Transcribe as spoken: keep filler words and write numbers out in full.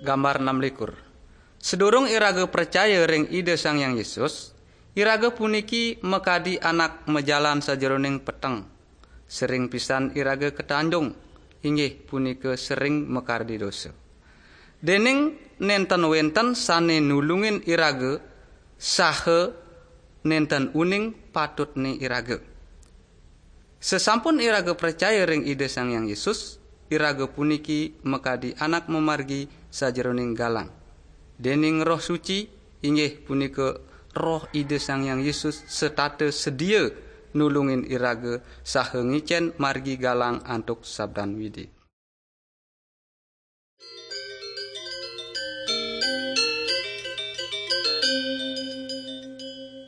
Gambar enam likur. Sedurung iraga pracaya ring Ida Sang Hyang Yesus, iraga puniki makadi anak majalan sajeroning peteng. Sering pisan iraga katanjung, inggih punika sering makardi dosa. Dening nenten wenten sane nulungin iraga, saha nenten uning patutne iraga. Sesampun iraga pracaya ring Ida Sang Hyang Yesus, iraga puniki makadi anak mamargi sajeroning galang. Dening Roh Suci, inggih punika Roh Ida Sang Hyang Yesus, setata sedia nulungin iraga saha ngicen margi galang antuk sabdan Widi.